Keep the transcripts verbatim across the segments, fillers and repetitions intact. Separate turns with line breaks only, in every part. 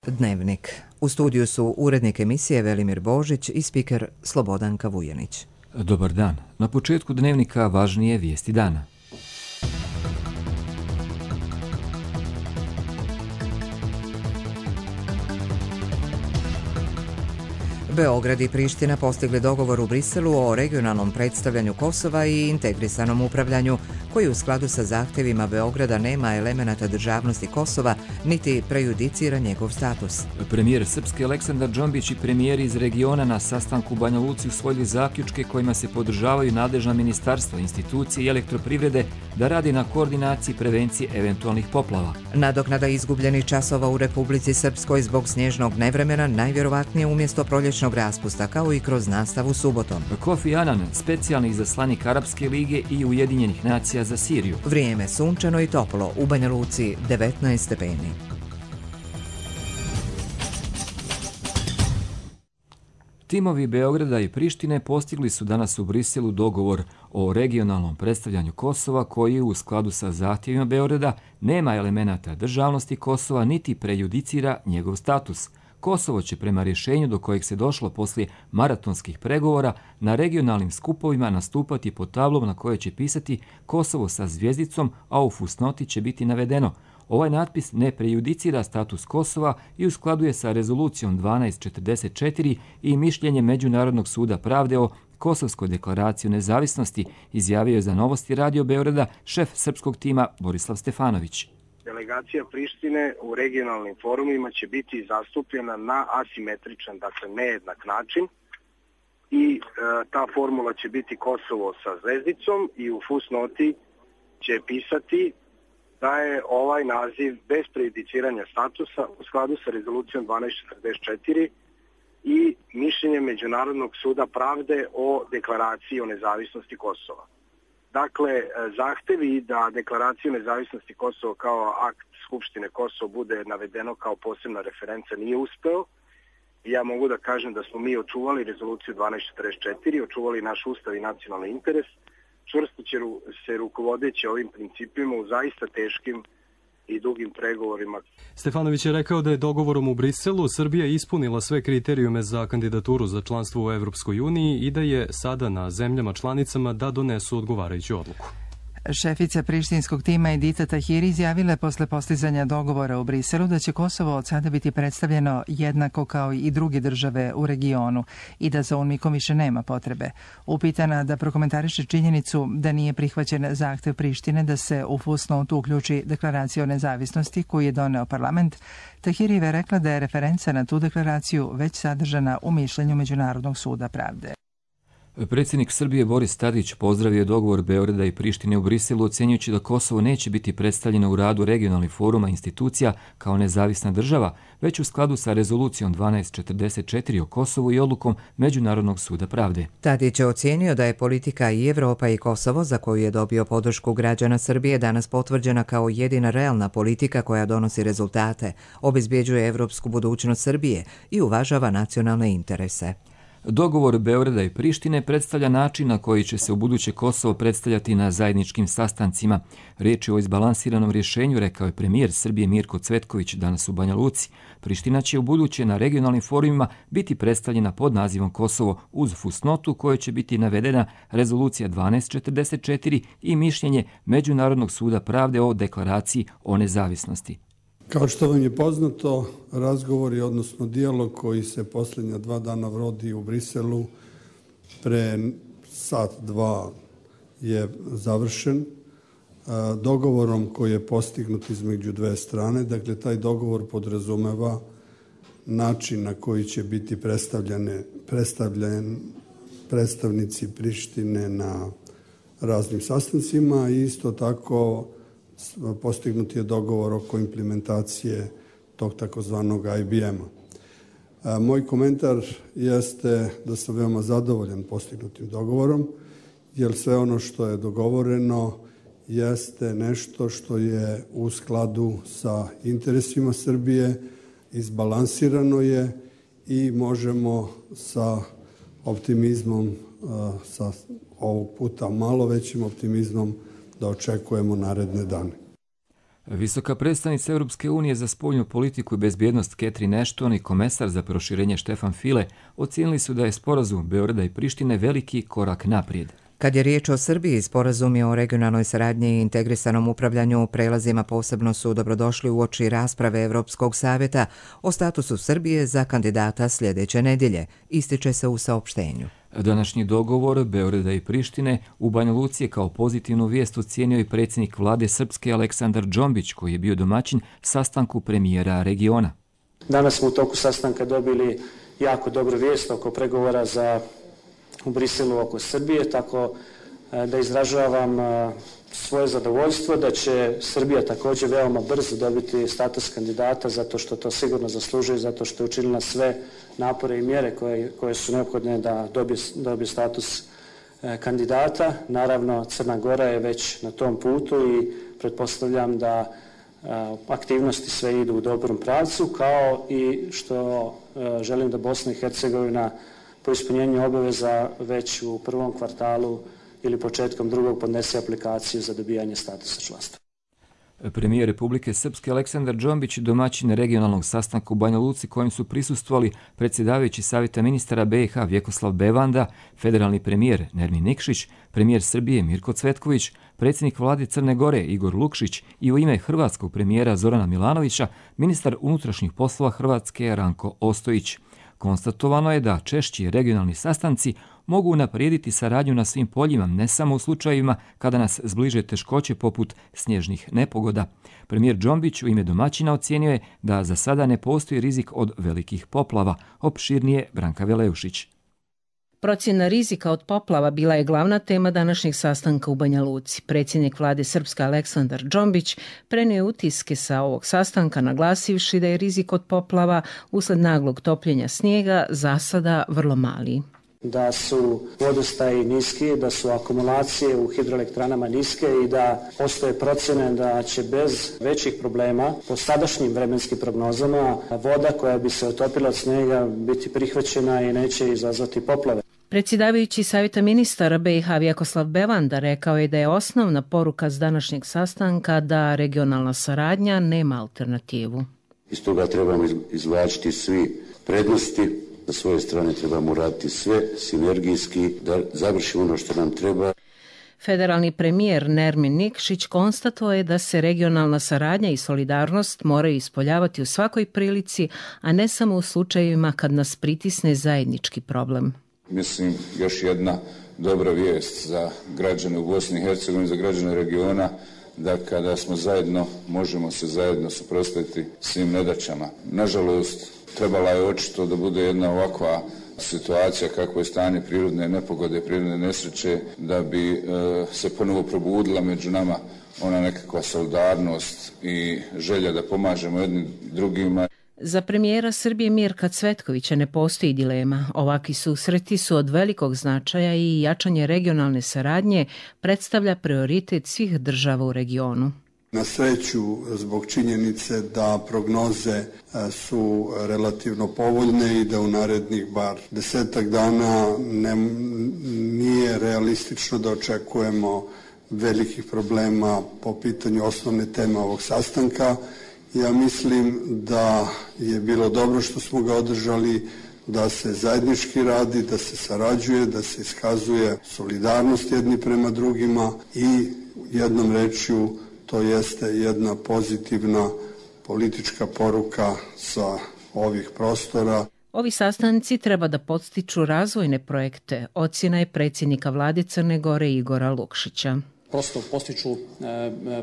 Dnevnik. U studiju su urednik emisije Velimir Božić i spiker Slobodanka Vujanić.
Dobar dan. Na početku Dnevnika važnije vijesti dana.
Beograd i Priština postigli dogovor u Briselu o regionalnom predstavljanju Kosova i integrisanom upravljanju, koji u skladu sa zahtjevima Beograda nema elemenata državnosti Kosova, niti prejudicira njegov status.
Premijer Srpske Aleksandar Džombić i premijeri iz regiona na sastanku u Banja Luci usvojili zaključke kojima se podržavaju nadležna ministarstva, institucije i elektroprivrede da radi na koordinaciji prevencije eventualnih poplava.
Nadoknada izgubljenih časova u Republici Srpskoj zbog snježnog nevremena najvjerovatnije umjesto proljećnog raspusta, kao i kroz nastavu subotom.
Kofi Annan, specijalni izaslanik Arapske lige i Ujedinjenih nacija za Siriju.
Vrijeme sunčano i toplo, u Banja Luci devetnaest stepeni.
Timovi Beograda i Prištine postigli su danas u Briselu dogovor o regionalnom predstavljanju Kosova koji u skladu sa zahtjevima Beograda nema elemenata državnosti Kosova niti prejudicira njegov status. Kosovo će prema rješenju do kojeg se došlo poslije maratonskih pregovora na regionalnim skupovima nastupati pod tablom na kojoj će pisati Kosovo sa zvijezdicom, a u fusnoti će biti navedeno: ovaj natpis ne prejudicira status Kosova i u skladu je sa rezolucijom dvanaest četrdeset četiri i mišljenjem Međunarodnog suda pravde o Kosovskoj deklaraciji o nezavisnosti, izjavio je za Novosti Radio Beograda šef srpskog tima Borislav Stefanović.
Delegacija Prištine u regionalnim forumima će biti zastupljena na asimetričan, dakle nejednak način i e, ta formula će biti Kosovo sa zvezdicom i u fusnoti će pisati da je ovaj naziv bez prejudiciranja statusa u skladu sa rezolucijom dvanaest četrdeset četiri i mišljenjem Međunarodnog suda pravde o deklaraciji o nezavisnosti Kosova. Dakle, zahtevi da deklaraciju nezavisnosti Kosova kao akt Skupštine Kosova bude navedeno kao posebna referenca nije uspeo. Ja mogu da kažem da smo mi očuvali rezoluciju dvanaest četrdeset četiri, očuvali naš ustav i nacionalni interes, čvrsto će se rukovodeći ovim principima u zaista teškim i dugim pregovorima.
Stefanović je rekao da je dogovorom u Briselu Srbija ispunila sve kriterijume za kandidaturu za članstvo u Evropskoj uniji i da je sada na zemljama članicama da donesu odgovarajuću odluku.
Šefica prištinskog tima Edita Tahiri izjavila je posle postizanja dogovora u Briselu da će Kosovo od sada biti predstavljeno jednako kao i druge države u regionu i da za UNMIK-om više nema potrebe. Upitana da prokomentariše činjenicu da nije prihvaćen zahtev Prištine da se u fusnotu uključi deklaracija o nezavisnosti koju je doneo parlament, Tahiri je rekla da je referenca na tu deklaraciju već sadržana u mišljenju Međunarodnog suda pravde.
Predsjednik Srbije Boris Tadić pozdravio dogovor Beograda i Prištine u Briselu, ocjenjujući da Kosovo neće biti predstavljeno u radu regionalnih foruma institucija kao nezavisna država, već u skladu sa rezolucijom dvanaest četrdeset četiri o Kosovu i odlukom Međunarodnog suda pravde.
Tadić je ocijenio da je politika i Evropa i Kosovo, za koju je dobio podršku građana Srbije, danas potvrđena kao jedina realna politika koja donosi rezultate, obezbjeđuje evropsku budućnost Srbije i uvažava nacionalne interese.
Dogovor Beograda i Prištine predstavlja način na koji će se ubuduće Kosovo predstavljati na zajedničkim sastancima. Riječ je o izbalansiranom rješenju, rekao je premijer Srbije Mirko Cvetković danas u Banja Luci. Priština će ubuduće na regionalnim forumima biti predstavljena pod nazivom Kosovo uz fusnotu kojoj će biti navedena rezolucija dvanaest četrdeset četiri i mišljenje Međunarodnog suda pravde o deklaraciji o nezavisnosti.
Kao što vam je poznato, razgovori, odnosno dijalog koji se posljednja dva dana vodi u Briselu, pre sat, dva je završen dogovorom koji je postignut između dve strane. Dakle, taj dogovor podrazumeva način na koji će biti predstavljene, predstavljen predstavnici Prištine na raznim sastancima i isto tako postignut je dogovor oko implementacije tog takozvanog I B M-a. Moj komentar jeste da sam veoma zadovoljan postignutim dogovorom, jer sve ono što je dogovoreno jeste nešto što je u skladu sa interesima Srbije, izbalansirano je i možemo sa optimizmom, sa ovog puta malo većim optimizmom, da očekujemo naredne dane.
Visoka predstavnica Europske unije za spoljnu politiku i bezbjednost Catherine Ashton i komesar za proširenje Stefan Füle ocijenili su da je sporazum Beograda i Prištine veliki korak naprijed.
Kad je riječ o Srbiji, sporazumi o regionalnoj saradnji i integrisanom upravljanju prelazima posebno su dobrodošli uoči rasprave Evropskog savjeta o statusu Srbije za kandidata sljedeće nedjelje, ističe se u saopštenju.
Današnji dogovor Beograda i Prištine u Banja Luci je kao pozitivnu vijest ocijenio i predsjednik vlade Srpske Aleksandar Džombić, koji je bio domaćin sastanku premijera regiona.
Danas smo u toku sastanka dobili jako dobru vijest oko pregovora za u Briselu oko Srbije, tako da izražavam svoje zadovoljstvo da će Srbija također veoma brzo dobiti status kandidata, zato što to sigurno zaslužuje, zato što je učinila sve napore i mjere koje, koje su neophodne da dobije, dobije status kandidata. Naravno, Crna Gora je već na tom putu i pretpostavljam da aktivnosti sve idu u dobrom pravcu, kao i što želim da Bosna i Hercegovina po ispunjenju obaveza već u prvom kvartalu ili početkom drugog podnese aplikaciju za dobijanje statusa članstva.
Premijer Republike Srpske Aleksandar Džombić, domaćin regionalnog sastanka u Banja Luci kojem su prisustvovali predsjedavajući Savjeta ministara B i H Vjekoslav Bevanda, federalni premijer Nermin Nikšić, premijer Srbije Mirko Cvetković, predsjednik vlade Crne Gore Igor Lukšić i u ime hrvatskog premijera Zorana Milanovića, ministar unutrašnjih poslova Hrvatske Ranko Ostojić. Konstatovano je da češći regionalni sastanci mogu unaprijediti saradnju na svim poljima, ne samo u slučajevima kada nas zbliže teškoće poput snježnih nepogoda. Premijer Džombić u ime domaćina ocijenio je da za sada ne postoji rizik od velikih poplava. Opširnije Branka Veleušić.
Procjena rizika od poplava bila je glavna tema današnjeg sastanka u Banja Luci. Predsjednik vlade Srpske Aleksandar Džombić prenio je utiske sa ovog sastanka, naglasivši da je rizik od poplava usled naglog topljenja snijega za sada vrlo mali.
Da su vodostaji niski, da su akumulacije u hidroelektranama niske i da postoje procjene da će bez većih problema po sadašnjim vremenskim prognozama voda koja bi se otopila od snijega biti prihvaćena i neće izazvati poplave.
Predsjedavajući Savjeta ministara B i H Vjekoslav Bevanda rekao je da je osnovna poruka s današnjeg sastanka da regionalna saradnja nema alternativu.
Iz toga trebamo izvlačiti svi prednosti. Na svoje strane trebamo raditi sve sinergijski da završimo ono što nam treba.
Federalni premijer Nermin Nikšić konstatovao je da se regionalna saradnja i solidarnost moraju ispoljavati u svakoj prilici, a ne samo u slučajevima kad nas pritisne zajednički problem.
Mislim, još jedna dobra vijest za građane u Bosni i Hercegovini, za građane regiona, da kada smo zajedno, možemo se zajedno suprotstaviti svim nedaćama. Nažalost, trebala je očito da bude jedna ovakva situacija kako je stanje prirodne nepogode, prirodne nesreće, da bi e, se ponovo probudila među nama ona nekakva solidarnost i želja da pomažemo jednim drugima.
Za premijera Srbije Mirka Cvetkovića ne postoji dilema. Ovakvi susreti su od velikog značaja i jačanje regionalne saradnje predstavlja prioritet svih država u regionu.
Na sreću, zbog činjenice da prognoze su relativno povoljne i da u narednih bar desetak dana ne, nije realistično da očekujemo velikih problema po pitanju osnovne teme ovog sastanka. Ja mislim da je bilo dobro što smo ga održali, da se zajednički radi, da se sarađuje, da se iskazuje solidarnost jedni prema drugima i jednom rečju to jeste jedna pozitivna politička poruka sa ovih prostora.
Ovi sastanci treba da podstiču razvojne projekte, ocjena je predsjednika vlade Crne Gore Igora Lukšića.
Prosto postiču e,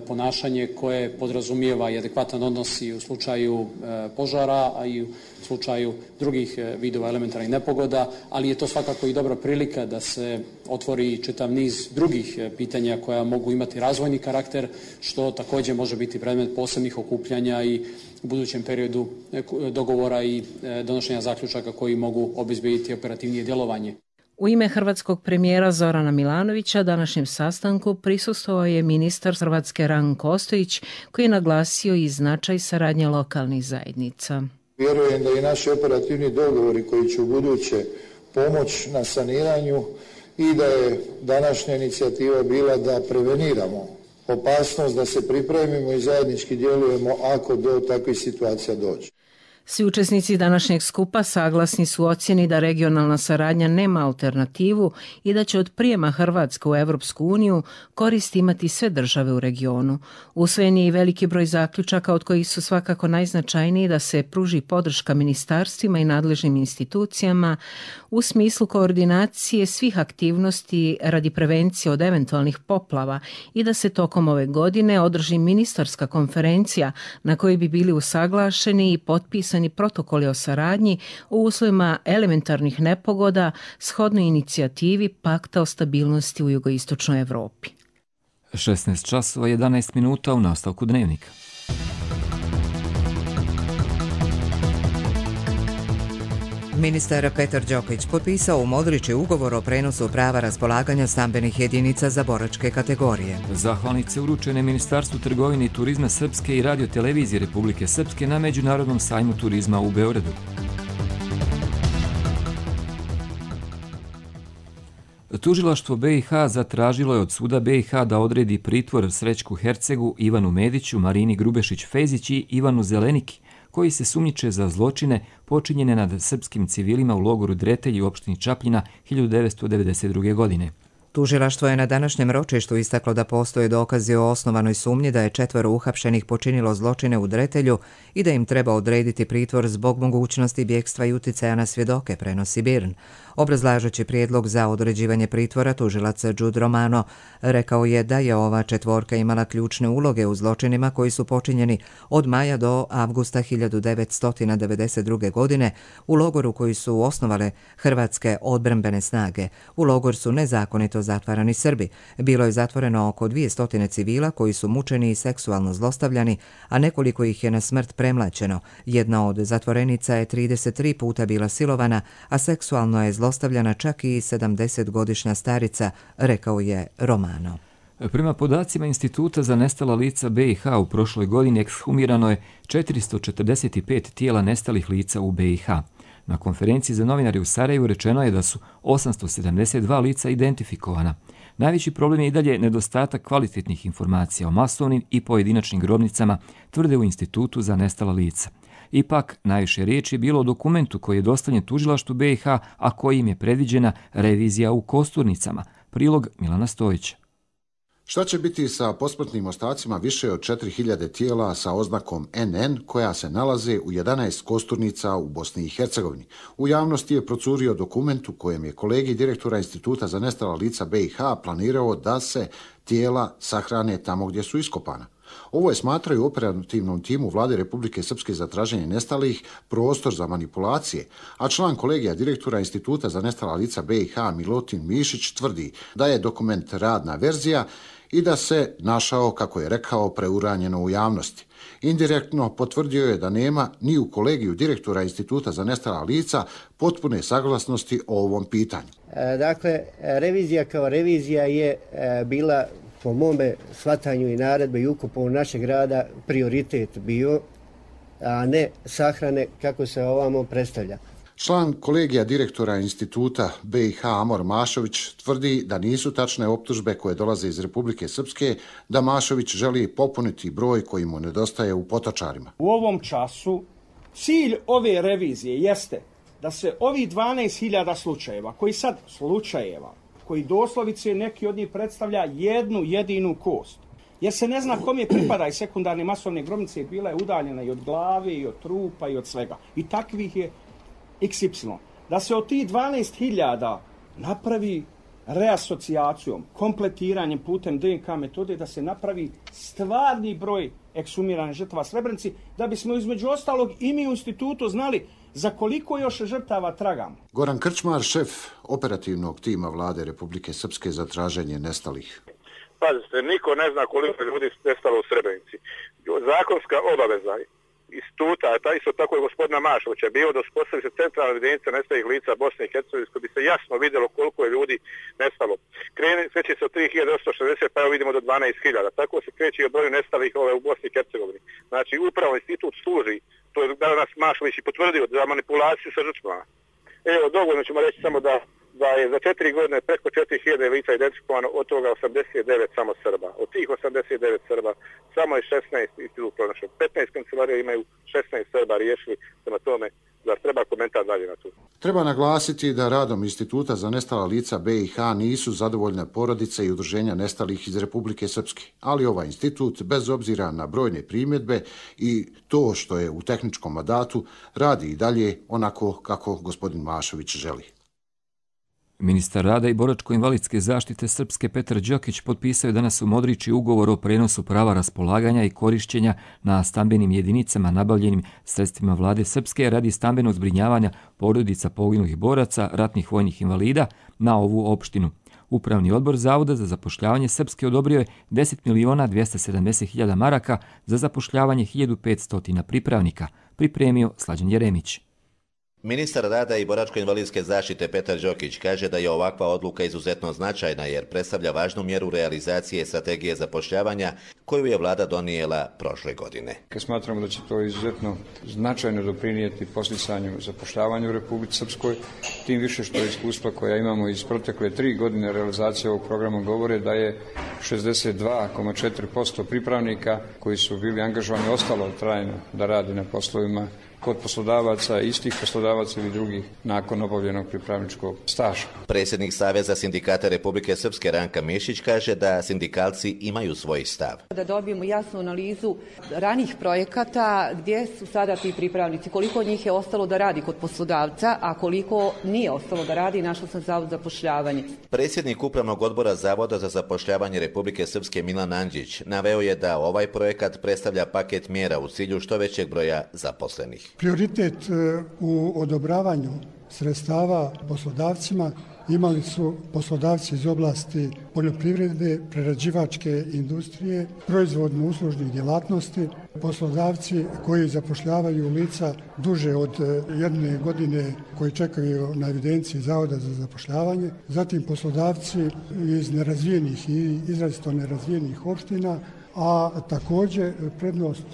ponašanje koje podrazumijeva i adekvatan odnos i u slučaju e, požara, a i u slučaju drugih e, vidova elementarnih nepogoda, ali je to svakako i dobra prilika da se otvori čitav niz drugih e, pitanja koja mogu imati razvojni karakter, što također može biti predmet posebnih okupljanja i u budućem periodu e, dogovora i e, donošenja zaključaka koji mogu obezbediti operativnije djelovanje.
U ime hrvatskog premijera Zorana Milanovića današnjem sastanku prisustvovao je ministar Hrvatske Ranko Ostojić, koji je naglasio i značaj saradnje lokalnih zajednica.
Vjerujem da i naši operativni dogovori koji će u buduće pomoć na saniranju i da je današnja inicijativa bila da preveniramo opasnost da se pripremimo i zajednički djelujemo ako do takvih situacija dođe.
Svi učesnici današnjeg skupa saglasni su ocjeni da regionalna saradnja nema alternativu i da će od prijema Hrvatske u Evropsku uniju korist imati sve države u regionu. Usvojen je i veliki broj zaključaka od kojih su svakako najznačajniji da se pruži podrška ministarstvima i nadležnim institucijama u smislu koordinacije svih aktivnosti radi prevencije od eventualnih poplava i da se tokom ove godine održi ministarska konferencija na kojoj bi bili usaglašeni i potpisani protokoli o saradnji u uslovima elementarnih nepogoda shodno inicijativi Pakta o stabilnosti u jugoistočnoj Evropi.
šesnaest časova jedanaest minuta u nastavku dnevnika.
Ministar Petar Đokić potpisao u Modriči ugovor o prenosu prava raspolaganja stambenih jedinica za boračke kategorije.
Zahvalnice uručene Ministarstvu trgovine i turizma Srpske i Radio-televizije Republike Srpske na Međunarodnom sajmu turizma u Beogradu. Tužilaštvo B i H zatražilo je od suda B i H da odredi pritvor Srećku Hercegu, Ivanu Mediću, Marini Grubešić-Fezić i Ivanu Zeleniki, koji se sumnjiče za zločine počinjene nad srpskim civilima u logoru Dretelj u opštini Čapljina hiljadu devetsto devedeset druge. godine.
Tužilaštvo je na današnjem ročištu istaklo da postoje dokazi o osnovanoj sumnji da je četvoro uhapšenih počinilo zločine u Dretelju i da im treba odrediti pritvor zbog mogućnosti bjegstva i uticaja na svjedoke, prenosi Birn. Obrazlažući prijedlog za određivanje pritvora, tužilac Đud Romano rekao je da je ova četvorka imala ključne uloge u zločinima koji su počinjeni od maja do avgusta hiljadu devetsto devedeset druge. godine u logoru koji su osnovale hrvatske odbrambene snage. U logor su nezakonito zatvarani Srbi. Bilo je zatvoreno oko dvjesto civila koji su mučeni i seksualno zlostavljani, a nekoliko ih je na smrt premlaćeno. Jedna od zatvorenica je trideset tri puta bila silovana, a seksualno je zlostavljana čak i sedamdesetgodišnja starica, rekao je Romano.
Prema podacima Instituta za nestala lica B i H u prošloj godini ekshumirano je četiristo četrdeset pet tijela nestalih lica u B i H. Na konferenciji za novinare u Sarajevu rečeno je da su osamsto sedamdeset dva lica identifikovana. Najveći problem je i dalje nedostatak kvalitetnih informacija o masovnim i pojedinačnim grobnicama, tvrde u Institutu za nestala lica. Ipak, najviše riječi je bilo o dokumentu koji je dostavljen tužilaštvu B i H, a kojim je predviđena revizija u Kosturnicama. Prilog Milana Stojića.
Šta će biti sa posmrtnim ostacima više od četiri hiljade tijela sa oznakom en en koja se nalaze u jedanaest kosturnica u Bosni i Hercegovini? U javnosti je procurio dokument u kojem je kolegi direktora Instituta za nestala lica B i H planirao da se tijela sahrane tamo gdje su iskopana. Ovo je, smatraju u operativnom timu Vlade Republike Srpske za traženje nestalih, prostor za manipulacije, a član kolegija direktora Instituta za nestala lica B i H Milutin Mišić tvrdi da je dokument radna verzija i da se našao, kako je rekao, preuranjeno u javnosti. Indirektno potvrdio je da nema ni u kolegiju direktora Instituta za nestala lica potpune saglasnosti o ovom pitanju.
Dakle, revizija kao revizija je bila, po mome shvatanju i naredbe i ukopu našeg rada, prioritet bio, a ne sahrane kako se ovamo predstavlja.
Član kolegija direktora Instituta B i H Amor Mašović tvrdi da nisu tačne optužbe koje dolaze iz Republike Srpske, da Mašović želi popuniti broj koji mu nedostaje u Potočarima.
U ovom času cilj ove revizije jeste da se ovi dvanaest hiljada slučajeva, koji sad slučajeva, koji doslovice neki od njih predstavlja jednu jedinu kost, jer se ne zna kome pripada i sekundarne masovne grobnice, bila je udaljena i od glave, i od trupa, i od svega. I takvih je iks ipsilon. Da se od tih dvanaest hiljada napravi reasocijacijom, kompletiranjem putem de en ka metode, da se napravi stvarni broj ekshumiranih žrtava Srebrenici, da bismo između ostalog i mi u institutu znali za koliko još žrtava tragamo.
Goran Krčmar, šef operativnog tima Vlade Republike Srpske za traženje nestalih.
Pazite, niko ne zna koliko ljudi nestalo u Srebrenici. Zakonska obaveza instituta, a isto tako je gospodina Mašovića, bio da uspostavi se centralna evidencija nestalih lica Bosne i Hercegovine, koji bi se jasno vidjelo koliko je ljudi nestalo. Kreće se od tri hiljade osamsto šezdeset, pa evo vidimo do dvanaest hiljada. Tako se kreće i od broju nestalih ove u Bosni i Hercegovini. Znači, upravo institut služi, to je danas Mašović i potvrdio, za manipulaciju sa žrtvama. Evo, dovoljno ćemo reći samo da da je za četiri godine preko četiri hiljade lica identifikovano, od toga osamdeset devet samo Srba. Od tih osamdeset devet Srba samo je šesnaest institut pronašao. petnaest kancelarija imaju šesnaest Srba riješili, prema tome zar treba komentar dalje na to.
Treba naglasiti da radom Instituta za nestala lica B i H nisu zadovoljne porodice i udruženja nestalih iz Republike Srpske, ali ovaj institut, bez obzira na brojne primjedbe i to što je u tehničkom mandatu, radi i dalje onako kako gospodin Mašović želi.
Ministar rada i boračko-invalidske zaštite Srpske Petar Đokić potpisao je danas u Modriči ugovor o prenosu prava raspolaganja i korišćenja na stambenim jedinicama nabavljenim sredstvima vlade Srpske radi stambenog zbrinjavanja porodica poginulih boraca, ratnih vojnih invalida na ovu opštinu. Upravni odbor Zavoda za zapošljavanje Srpske odobrio je deset miliona dvesta sedamdeset hiljada maraka za zapošljavanje hiljadu petsto pripravnika, pripremio Slađan Jeremić.
Ministar rada i boračko-invalidske zaštite Petar Đokić kaže da je ovakva odluka izuzetno značajna jer predstavlja važnu mjeru realizacije strategije zapošljavanja koju je vlada donijela prošle godine.
Smatramo da će to izuzetno značajno doprinijeti podsticanju zapošljavanja u Republici Srpskoj, tim više što je iskustva koja imamo iz protekle tri godine realizacije ovog programa govore da je šezdeset dva zarez četiri posto pripravnika koji su bili angažovani ostalo trajno da radi na poslovima kod poslodavaca, istih poslodavaca ili drugih nakon obavljenog pripravničkog staža.
Predsjednik Saveza sindikata Republike Srpske Ranka Mišić kaže da sindikalci imaju svoj stav.
Da dobijemo jasnu analizu ranih projekata gdje su sada ti pripravnici, koliko njih je ostalo da radi kod poslodavca, a koliko nije ostalo da radi, našao sam Zavod za zapošljavanje.
Predsjednik Upravnog odbora Zavoda za zapošljavanje Republike Srpske Milan Andžić naveo je da ovaj projekat predstavlja paket mjera u cilju što većeg broja zaposlenih.
Prioritet u odobravanju sredstava poslodavcima imali su poslodavci iz oblasti poljoprivrede, prerađivačke industrije, proizvodno-uslužnih djelatnosti, poslodavci koji zapošljavaju lica duže od jedne godine koji čekaju na evidenciji Zavoda za zapošljavanje, zatim poslodavci iz nerazvijenih i izrazito nerazvijenih opština, a također prednost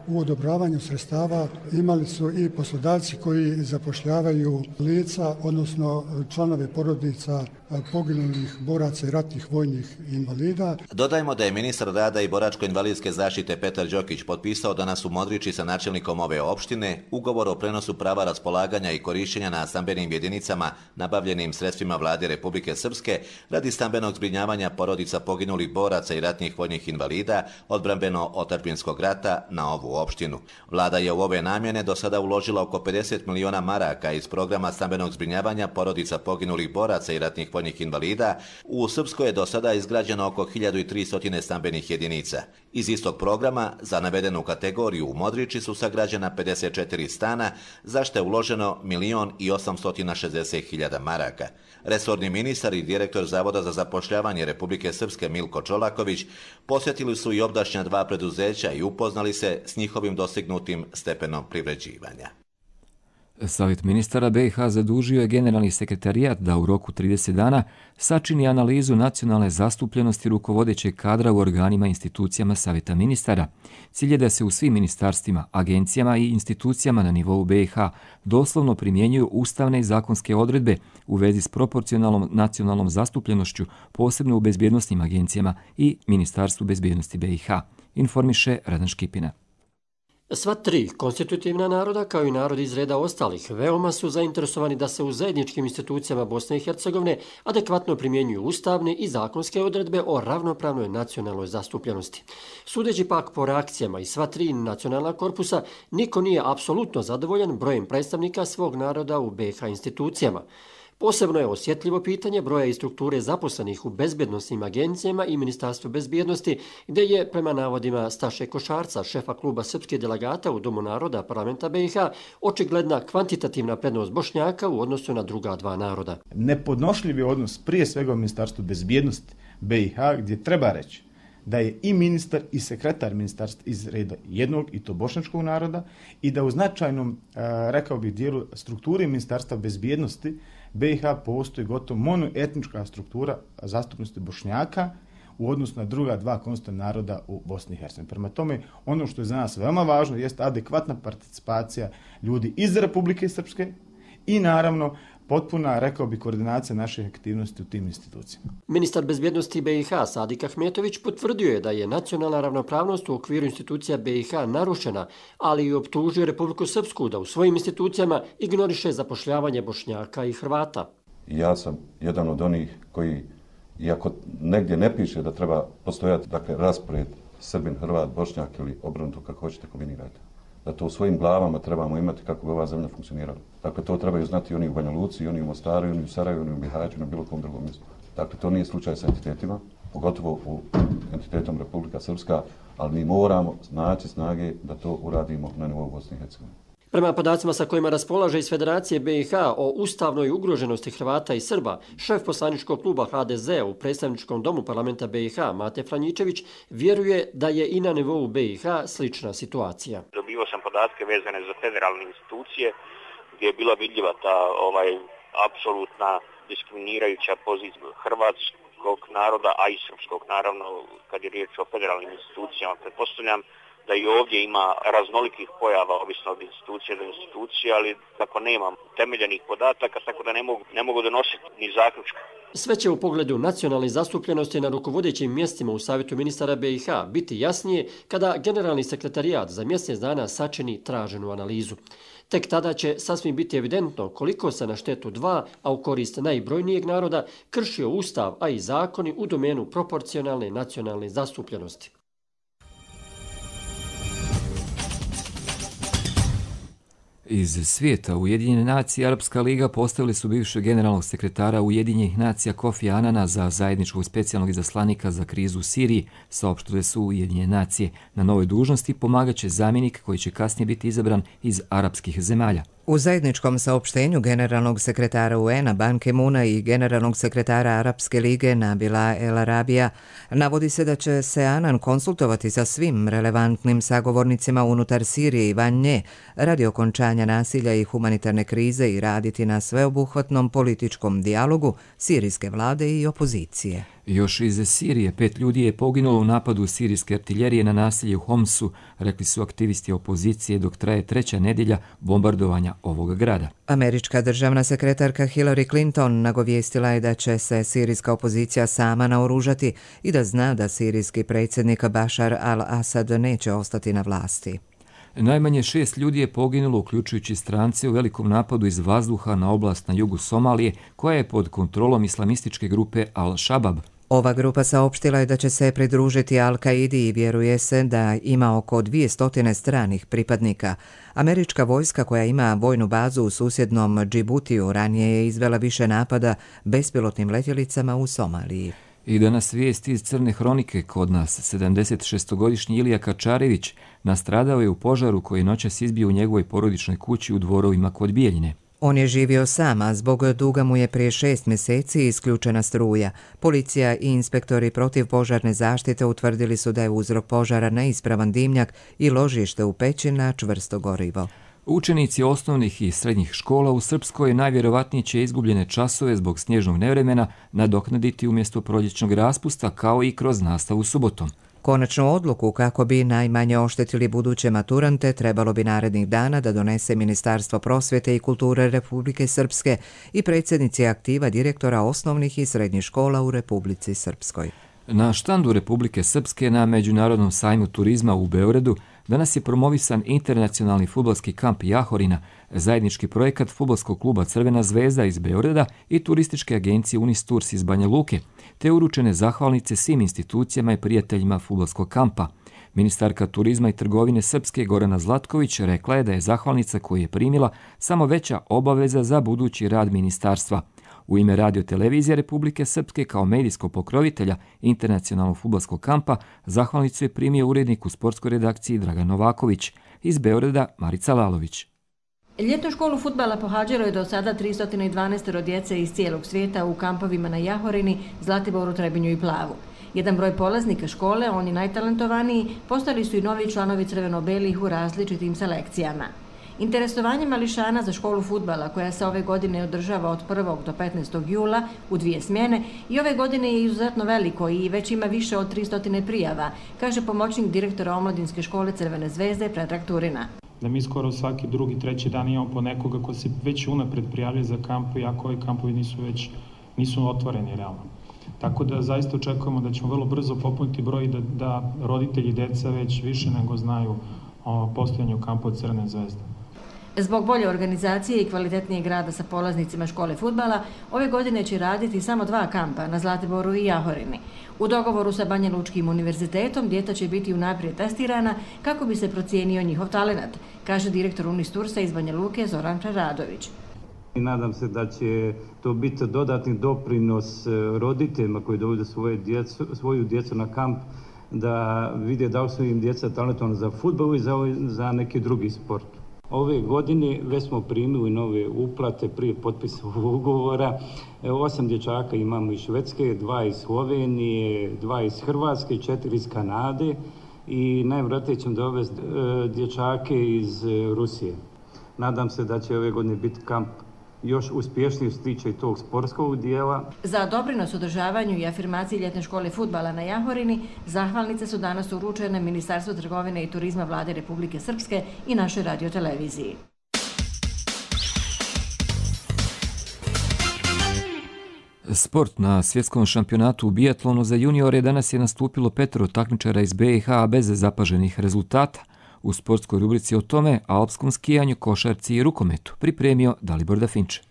u odobravanju sredstava imali su i poslodavci koji zapošljavaju lica, odnosno članove porodica poginulih boraca i ratnih vojnih invalida.
Dodajmo da je ministar rada i boračko-invalidske zaštite Petar Đokić potpisao danas u Modriči sa načelnikom ove opštine ugovor o prenosu prava raspolaganja i korišćenja na stambenim jedinicama nabavljenim sredstvima vlade Republike Srpske radi stambenog zbrinjavanja porodica poginulih boraca i ratnih vojnih invalida odbrambeno-otadžbinskog rata na ovu opštinu. Vlada je u ove namjene do sada uložila oko pedeset miliona maraka iz programa stambenog zbrinjavanja porodica poginulih boraca i ratnih vojnih invalida. U Srpskoj je do sada izgrađeno oko hiljadu tristo stambenih jedinica. Iz istog programa za navedenu kategoriju u Modriči su sagrađena pedeset četiri stana, za što je uloženo milion i osamsto šezdeset hiljada maraka. Resorni ministar i direktor Zavoda za zapošljavanje Republike Srpske Milko Čolaković posjetili su i obdašnja dva preduzeća i upoznali se s njihovim dostignutim stepenom privređivanja.
Savjet ministara B i H zadužio je generalni sekretarijat da u roku trideset dana sačini analizu nacionalne zastupljenosti rukovodećeg kadra u organima i institucijama Savjeta ministara. Cilj je da se u svim ministarstvima, agencijama i institucijama na nivou B i H doslovno primjenjuju ustavne i zakonske odredbe u vezi s proporcionalnom nacionalnom zastupljenošću, posebno u bezbjednosnim agencijama i Ministarstvu bezbjednosti B i H, informiše Radan Škipina.
Sva tri konstitutivna naroda, kao i narodi iz reda ostalih, veoma su zainteresovani da se u zajedničkim institucijama Bosne i Hercegovine adekvatno primjenjuju ustavne i zakonske odredbe o ravnopravnoj nacionalnoj zastupljenosti. Sudeći pak po reakcijama i sva tri nacionalna korpusa, niko nije apsolutno zadovoljan brojem predstavnika svog naroda u B i H institucijama. Posebno je osjetljivo pitanje broja i strukture zaposlenih u bezbjednosnim agencijama i Ministarstvu bezbjednosti, gdje je, prema navodima Staše Košarca, šefa kluba srpske delegata u Domu naroda parlamenta B i H, očigledna kvantitativna prednost Bošnjaka u odnosu na druga dva naroda.
Nepodnošljiv je odnos prije svega u Ministarstvu bezbjednosti B i H, gdje treba reći da je i ministar i sekretar ministarstva iz reda jednog i to bošnjačkog naroda i da u značajnom, rekao bih, dijelu strukture Ministarstva bezbjednosti B i H postoji gotovo monoetnička struktura zastupnosti Bošnjaka u odnosu na druga dva konstitutivna naroda u Bosni i Hercegovini. Prema tome, ono što je za nas veoma važno jeste adekvatna participacija ljudi iz Republike Srpske i naravno potpuna, rekao bi, koordinacija naših aktivnosti u tim institucijama.
Ministar bezbjednosti B i H Sadik Ahmetović potvrdio je da je nacionalna ravnopravnost u okviru institucija B i H narušena, ali i optužio Republiku Srpsku da u svojim institucijama ignoriše zapošljavanje Bošnjaka i Hrvata.
Ja sam jedan od onih koji, iako negdje ne piše da treba postojati, dakle, raspored Srbin, Hrvat, Bošnjak ili obrnuto, kako hoćete kombinirati, da to u svojim glavama trebamo imati kako bi ova zemlja funkcionirala. Dakle, to trebaju znati i oni u Banja Luci, i oni u Mostaru, i oni u Sarajevu, i oni u Bihaću, i na bilo kom drugom mjestu. Dakle, to nije slučaj sa entitetima, pogotovo u entitetom Republika Srpska, ali mi moramo naći snage da to uradimo na nivou Bosne i Hercegovine.
Prema podacima sa kojima raspolaže iz Federacije B i H o ustavnoj ugroženosti Hrvata i Srba, šef poslaničkog kluba H D Z u predstavničkom domu parlamenta B i H, Mate Franjičević, vjeruje da je i na nivou B i H slična situacija.
Dobio sam podatke vezane za federalne institucije gdje je bila vidljiva ta ovaj, apsolutna diskriminirajuća pozicija hrvatskog naroda, a i srpskog, naravno, kad je riječ o federalnim institucijama. Pretpostavljam da i ovdje ima raznolikih pojava, ovisno od institucije do institucije, ali tako nemam temeljenih podataka, tako da ne mogu, ne mogu donositi ni zaključka.
Sve će u pogledu nacionalne zastupljenosti na rukovodećim mjestima u Savjetu ministara B i H biti jasnije kada generalni sekretarijat za mjesec dana sačini traženu analizu. Tek tada će sasvim biti evidentno koliko se na štetu dva, a u korist najbrojnijeg naroda, kršio ustav, a i zakoni u domenu proporcionalne nacionalne zastupljenosti.
Iz svijeta Ujedinjene nacije Arapska liga postavili su bivšeg generalnog sekretara Ujedinjenih nacija Kofi Anana za zajedničkog specijalnog izaslanika za krizu u Siriji, saopštile su Ujedinjene nacije. Na novoj dužnosti pomagaće zamjenik koji će kasnije biti izabran iz arapskih zemalja.
U zajedničkom saopštenju generalnog sekretara U N-a Ban Ki-moona i generalnog sekretara Arapske lige Nabila El Arabija navodi se da će se Anan konsultovati sa svim relevantnim sagovornicima unutar Sirije i van nje radi okončanja nasilja i humanitarne krize i raditi na sveobuhvatnom političkom dijalogu sirijske vlade i opozicije.
Još iz Sirije pet ljudi je poginulo u napadu sirijske artiljerije na naselje u Homsu, rekli su aktivisti opozicije, dok traje treća nedjelja bombardovanja ovog grada.
Američka državna sekretarka Hillary Clinton nagovijestila je da će se sirijska opozicija sama naoružati i da zna da sirijski predsjednik Bashar al-Assad neće ostati na vlasti.
Najmanje šest ljudi je poginulo, uključujući strance, u velikom napadu iz vazduha na oblast na jugu Somalije, koja je pod kontrolom islamističke grupe Al-Shabaab.
Ova grupa saopštila je da će se pridružiti Al-Kaidi i vjeruje se da ima oko dvije stranih pripadnika. Američka vojska koja ima vojnu bazu u susjednom Džibutiju ranije je izvela više napada bespilotnim letjelicama u Somaliji.
I danas vijest iz Crne hronike. Kod nas sedamdesetšestogodišnji Ilija Kačarević nastradao je u požaru koji je noćas izbio u njegovoj porodičnoj kući u Dvorovima kod Bijeljine.
On je živio sam, a zbog duga mu je prije šest mjeseci isključena struja. Policija i inspektori protiv požarne zaštite utvrdili su da je uzrok požara neispravan dimnjak i ložište u peći na čvrsto gorivo.
Učenici osnovnih i srednjih škola u Srpskoj najvjerovatnije će izgubljene časove zbog snježnog nevremena nadoknaditi umjesto proljećnog raspusta, kao i kroz nastavu subotom.
Konačnu odluku kako bi najmanje oštetili buduće maturante trebalo bi narednih dana da donese Ministarstvo prosvjete i kulture Republike Srpske i predsjednici aktiva direktora osnovnih i srednjih škola u Republici Srpskoj.
Na štandu Republike Srpske na Međunarodnom sajmu turizma u Beogradu danas je promovisan internacionalni fudbalski kamp Jahorina, zajednički projekat fudbalskog kluba Crvena zvezda iz Beograda i turističke agencije Unistours iz Banja Luke, te uručene zahvalnice svim institucijama i prijateljima fudbalskog kampa. Ministarka turizma i trgovine Srpske Gorana Zlatković rekla je da je zahvalnica koju je primila samo veća obaveza za budući rad ministarstva. U ime Radio televizije Republike Srpske kao medijskog pokrovitelja internacionalnog fudbalskog kampa zahvalnicu je primio urednik u sportskoj redakciji Dragan Novaković. Iz Beograda Marica Lalović.
Ljetnu školu fudbala pohađalo je do sada tristo dvanaest djece iz cijelog svijeta u kampovima na Jahorini, Zlatiboru, Trebinju i Plavu. Jedan broj polaznika škole, oni najtalentovaniji, postali su i novi članovi crveno-belih u različitim selekcijama. Interesovanje mališana za školu fudbala, koja se ove godine održava od prvog do petnaestog jula u dvije smjene, i ove godine je izuzetno veliko i već ima više od tristo prijava, kaže pomoćnik direktora omladinske škole Crvene zvezde Predrag Turina.
da mi skoro svaki drugi, treći dan imamo po nekoga ko se već unapred prijavlja za kamp, iako ovi kampovi nisu već nisu otvoreni realno. Tako da zaista očekujemo da ćemo vrlo brzo popuniti broj da, da roditelji deca već više nego znaju o postojanju kampa od Crvene zvezde.
Zbog bolje organizacije i kvalitetnijeg rada sa polaznicima škole fudbala, ove godine će raditi samo dva kampa na Zlatiboru i Jahorini. U dogovoru sa Banja Lučkim univerzitetom djeca će biti unaprijed testirana kako bi se procijenio njihov talenat, kaže direktor Unistursa iz Banja Luke Zoran Radović.
Nadam se da će to biti dodatni doprinos roditeljima koji dovode svoje djecu, svoju djecu na kamp, da vide da li su im djeca talentovana za fudbal i za, za neki drugi sport. Ove godine već smo primili nove uplate prije potpisa ugovora. Osam dječaka imamo iz Švedske, dva iz Slovenije, dva iz Hrvatske, četiri iz Kanade i najvjerojatnije ćemo dovesti dječake iz Rusije. Nadam se da će ove godine biti kamp još uspješniji što se tiče tog sportskog dijela.
Za doprinos održavanju i afirmaciji ljetne škole fudbala na Jahorini, zahvalnice su danas uručene Ministarstvu trgovine i turizma Vlade Republike Srpske i našoj radioteleviziji.
Sport na svjetskom šampionatu u bijatlonu za juniore danas je nastupilo petero takmičara iz B i H bez zapaženih rezultata. U sportskoj rubrici o tome, alpskom skijanju, košarci i rukometu pripremio Dalibor Dafinče.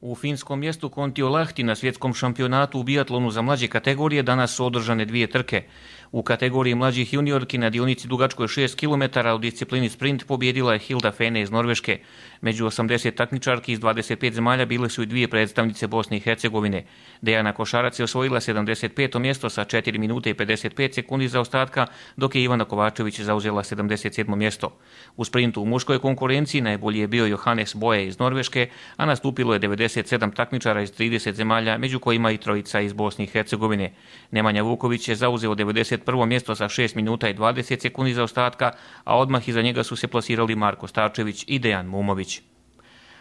U finskom mjestu Kontiolahti na svjetskom šampionatu u bijatlonu za mlađe kategorije danas su održane dvije trke. U kategoriji mlađih juniorki na dionici dugačkoj šest kilometara u disciplini sprint pobjedila je Hilda Fene iz Norveške. Među osamdeset takmičarki iz dvadeset pet zemalja bile su i dvije predstavnice Bosne i Hercegovine. Dejana Košarac je osvojila sedamdeset peto mjesto sa četiri minute i pedeset pet sekundi zaostatka, dok je Ivana Kovačević zauzela sedamdeset sedmo mjesto. U sprintu u muškoj konkurenciji najbolji je bio Johannes Boje iz Norveške, a nastupilo je devedeset sedam takmičara iz trideset zemalja, među kojima i trojica iz Bosne i Hercegovine. Nemanja Vuković je zauzeo devedeset prvo mjesto sa šest minuta i dvadeset sekundi zaostatka, a odmah iza njega su se plasirali Marko Starčević i Dejan Mumović.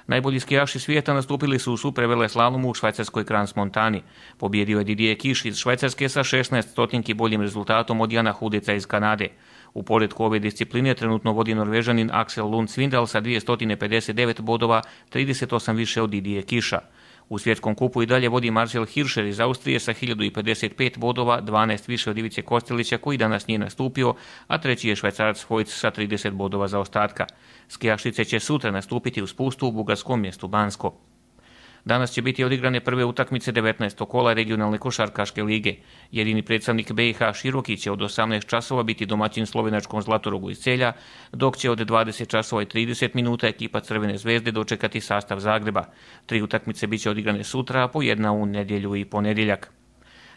Najbolji skijaši svijeta nastupili su u supervele slalomu u švajcarskoj Crans Montani. Pobjedio je Didier Kiš iz Švajcarske sa šesnaest stotinki boljim rezultatom od Jana Hudeca iz Kanade. U poredku ove discipline trenutno vodi Norvežanin Axel Lund Svindal sa dvjesto pedeset devet bodova, trideset osam više od Didier Kiša. U svjetskom kupu i dalje vodi Marcel Hirscher iz Austrije sa hiljadu pedeset pet bodova, dvanaest više od Ivice Kostelića koji danas nije nastupio, a treći je Švajcarac Vojc sa trideset bodova zaostatka. Skijašice će sutra nastupiti u spustu u bugarskom mjestu Bansko. Danas će biti odigrane prve utakmice devetnaestog kola regionalne košarkaške lige. Jedini predstavnik B i H Široki će od osamnaest časova biti domaćin slovenačkom Zlatorogu iz Celja, dok će od dvadeset časova i trideset minuta ekipa Crvene zvezde dočekati sastav Zagreba. Tri utakmice biće odigrane sutra, a po jedna u nedjelju i ponedjeljak.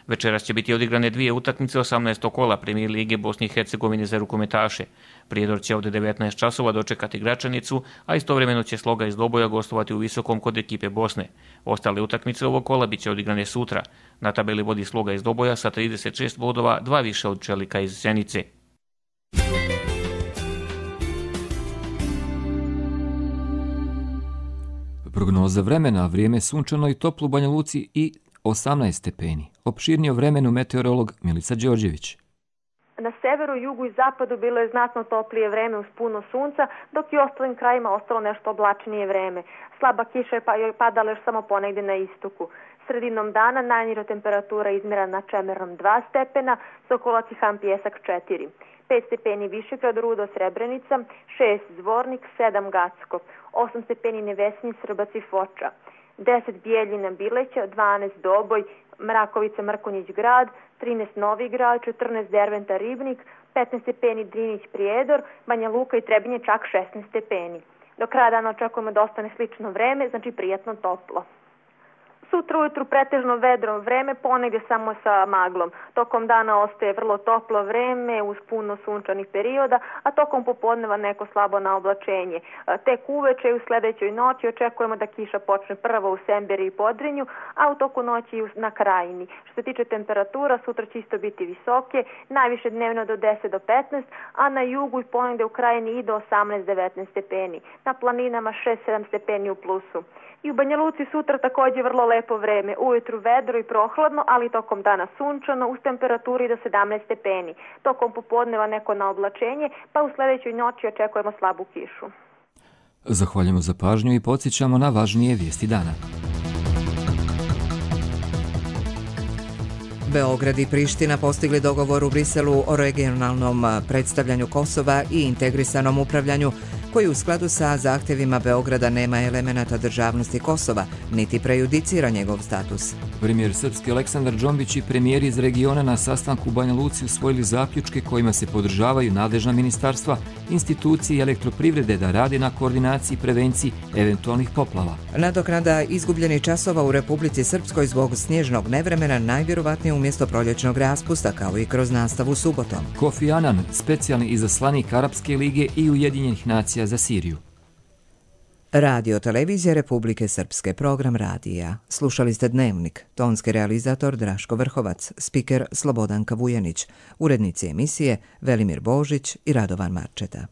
Večeras će biti odigrane dvije utakmice osamnaestog kola Premijer lige Bosne i Hercegovine za rukometaše. Prijedor će od devetnaest časova dočekati Gračanicu, a istovremeno će Sloga iz Doboja gostovati u Visokom kod ekipe Bosne. Ostale utakmice ovog kola bit će odigrane sutra. Na tabeli vodi Sloga iz Doboja sa trideset šest bodova, dva više od Čelika iz Zenice.
Prognoza vremena, vrijeme sunčano i toplo u Banja Luci i osamnaest stepeni. Opširnije o vremenu meteorolog Milica Đorđević.
Na severu, jugu i zapadu bilo je znatno toplije vreme uz puno sunca, dok i ostalim krajima ostalo nešto oblačnije vreme. Slaba kiša je padala još samo ponegdje na istoku. Sredinom dana najniža temperatura izmjera na Čemernom dva stepena, Sokolac i Han Pijesak četiri. pet stepeni Višegrad, Rudo, Srebrenica, šest Zvornik, sedam Gacko, osam stepeni Nevesinje, Srbac i Foča, deset Bijeljina, Bileća, dvanaest Doboj, Mrakovica, Mrkonjić grad, trinaest Novi grad, četrnaest Derventa, Ribnik, petnaest stepeni Drinić, Prijedor, Banja Luka i Trebinje čak šesnaest stepeni. Do kraja dana očekujemo da ostane slično vreme, znači prijatno toplo. Sutra ujutru pretežno vedro vreme, ponegdje samo sa maglom. Tokom dana ostaje vrlo toplo vreme uz puno sunčanih perioda, a tokom popodneva neko slabo naoblačenje. Tek uveče i u sljedećoj noći očekujemo da kiša počne prvo u Semberi i Podrinju, a u toku noći i na Krajini. Što se tiče temperatura, sutra će isto biti visoke, najviše dnevno do deset do petnaest, a na jugu i ponegdje u Krajini i do osamnaest do devetnaest stepeni. Na planinama šest do sedam stepeni u plusu. I u Banja Luci sutra također vrlo lepo vreme. Ujutru vedro i prohladno, ali tokom dana sunčano uz temperaturi do sedamnaest stepeni. Tokom popodneva neko naoblačenje, pa u sledećoj noći očekujemo slabu kišu.
Zahvaljujemo za pažnju i podsjećamo na važnije vijesti dana.
Beograd i Priština postigli dogovor u Briselu o regionalnom predstavljanju Kosova i integrisanom upravljanju, koji u skladu sa zahtjevima Beograda nema elemenata državnosti Kosova, niti prejudicira njegov status.
Premijer srpski Aleksandar Džombić i premijeri iz regiona na sastanku u Banja Luci usvojili zaključke kojima se podržavaju nadležna ministarstva, institucije i elektroprivrede da radi na koordinaciji i prevenciji eventualnih poplava.
Nadoknada izgubljenih časova u Republici Srpskoj zbog snježnog nevremena najvjerovatnije umjesto proljećnog raspusta, kao i kroz nastavu subotom.
Kofi Anan, specijalni izaslanik Arapske lige i Ujedinjenih nacija za Siriju.
Radio Televizija Republike Srpske, program radija. Slušali ste Dnevnik, tonski realizator Draško Vrhovac, spiker Slobodanka Vujanić, urednici emisije Velimir Božić i Radovan Marčeta.